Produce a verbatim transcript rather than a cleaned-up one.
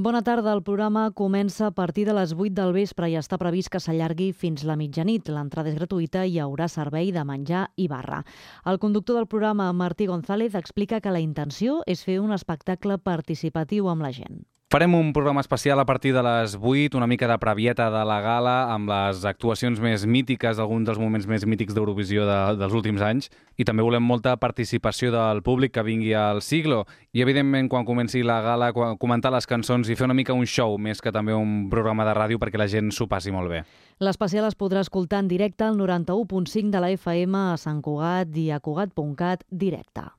Bona tarda. El programa comença a partir de les vuit del vespre i està previst que s'allargui fins la mitjanit. L'entrada és gratuïta i hi haurà servei de menjar i barra. El conductor del programa, Martí González, explica que la intenció és fer un espectacle participatiu amb la gent. Farem un programa especial a partir de les vuit, una mica de previeta de la gala, amb les actuacions més mítiques, alguns dels moments més mítics d'Eurovisió de, dels últims anys, i també volem molta participació del públic que vingui al Siglo. I, evidentment, quan comenci la gala, comentar les cançons i fer una mica un show, més que també un programa de ràdio perquè la gent s'ho passi molt bé. L'especial es podrà escoltar en directe al noranta-u punt cinc de la F M a Sant Cugat i a Cugat punt cat directe.